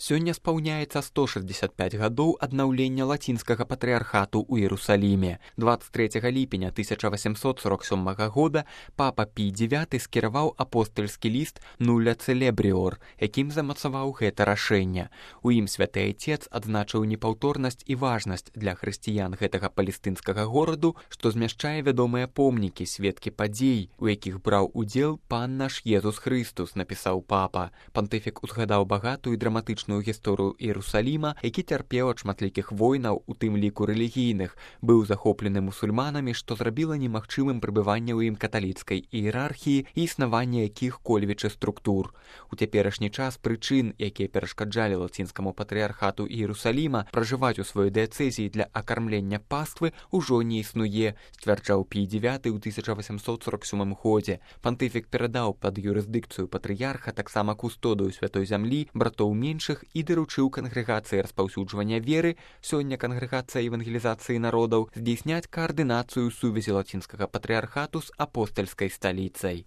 Сёння спаўняецца 165 гадоў аднаўлення лацінскага патрыархату ў Іерусаліме. 23 ліпеня 1847 года папа Пій IX скіраваў апостальскі ліст «Нуля Целебріор», якім замацаваў гэта рашэнне. У ім святы айцец адзначыў непаўторнасць і важнасць для хрысціян гэтага палестынскага гораду, што змяшчае вядомыя помнікі, сведкі падзей, у якіх браў удзел пан наш Езус Хрыстус, напісаў папа. Пантыфік узгадаў багатую драматычную гісторыю Іерусаліма, які цярпеў ад шматлікіх войнаў, у тым ліку рэлігійных, быў захоплены мусульманамі, што зрабіла немагчымым прыбыванне ў ім каталіцкай іерархіі і існаванне якіх-кольвічы структур. У цяперашні час прычын, якія перашкаджалі лацінскаму патрыархату Іерусаліма пражываць у сваёй дыяцэзіі для акармлення паствы, ужо не існуе, сцвярджаў Пій IX ў 1847 годзе. Пантыфік перадаў пад юрысдыкцыю патрыярха таксама кустодыю святой зямлі, братоў меншых і даручыў кангрэгацыі распаўсюджвання веры, сёння кангрэгацыя евангелізацыі народаў, здзейсняць каардынацыю сувязі лацінскага патрыярхату з апостальскай сталіцай.